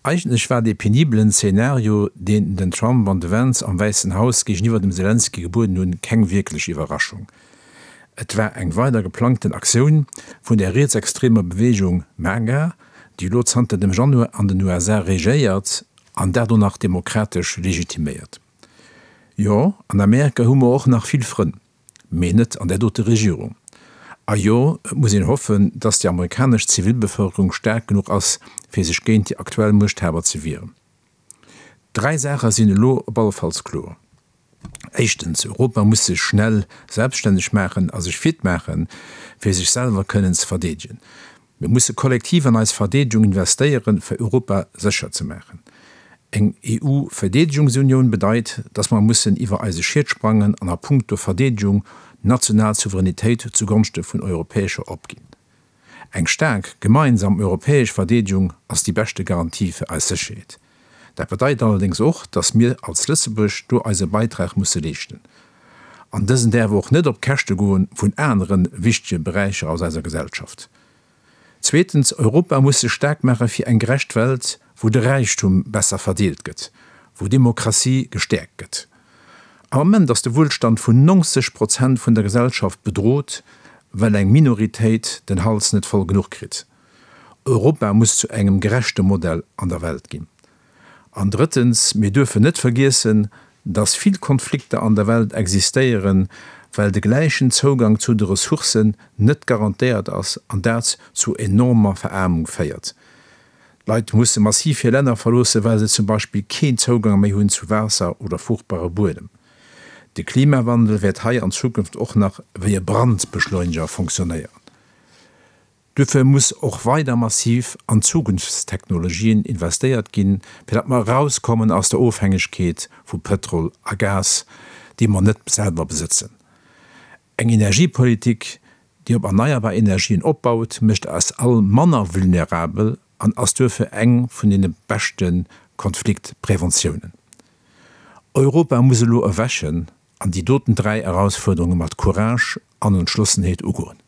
Eigentlech war dee penibelen Zeenario, deen den Trump an de Vance am Wäissen Haus géigeniwwer dem Selenskyj gebueden hunn, keng wierklech Iwwerraschung. Et war eng weider geplangten Aktioun vun der rietsextremer Beweegung MAGA, déi elo zanter dem Januar an den USA regéiert an dat och nach demokratesch legitiméiert. Jo, an Amerika hu mer och nach vill Frënn, mee net an där dote Regierung. A jo, et muss een hoffen, datt déi amerikanesch Zivilbevëlkerung staark genuch ass, fir sech géint déi aktuell Muechthaber ze wieren. Dräi Saache sinn elo op allefalls kloer. Éischtens, Europa muss sech schnell selbststänneg maachen a sech fit maachen, fir sech selwer kënnen ze verdeedegen. Mir musse kollektiv an eis Verdeedegung investéieren, fir Europa sécher ze maachen. Eng EU-Verdeedegungsunioun bedeit, dass mer mussen iwwer eise Schiet sprangen an a puncto Verdeedegung national Souveränitéit zugonschte vun europäescher opginn. Eng staark gemeinsam europäesch Verdeedegung ass déi beschte Garantie fir eis Sécherheet. Dat bedeit allerdéngs och, dass mir als Lëtzebuerg do eise Beitrag musse leeschten. An dësen däerf och net op d'Käschte goen vun anere wichtege Beräicher aus eiser Gesellschaft. Zweetens, Europa muss sech staark maache fir eng gerecht Welt, wou de Räichtum besser verdeelt gëtt, wou Demokratie gestäerkt gëtt. Am Ament ass de Wuelstand vun 90 Prozent vun der Gesellschaft bedrot, well eng Minoritéit den Hals net voll genuch kritt. Europa muss zu engem gerechte Modell an der Welt ginn. An drëttens, mir duerfen net vergiessen, dass vill Konflikter an der Welt existéieren, well de gläichen Zougang zu de Ressourcen net garantéiert ass an dat zu enormer Veraarmung féiert. D'Leit musse massiv hir Länner verloossen, well se zum Beispill keen Zougang méi hunn zu Waasser oder fruchtbare Buedem. De Klimawandel wäert hei an Zukunft och nach wéi e Brandbeschleuniger fonctionnéieren. Duerfir muss och weider massiv an Zukunftstechnologien investéiert ginn, fir datt mer erauskommen aus der Ofhängegkeet vu Pëtrol a Gas, déi mer net selwer besëtzen. Eng Energiepolitik, déi op erneierbar Energien opbaut, mécht eis all manner vulnerabel an ass duerfir eng vun deene beschte Konfliktpräventiounen. Europa muss elo erwächen an déi doten 3 Erausfuerderunge mat Courage an Entschlossenheet ugoen.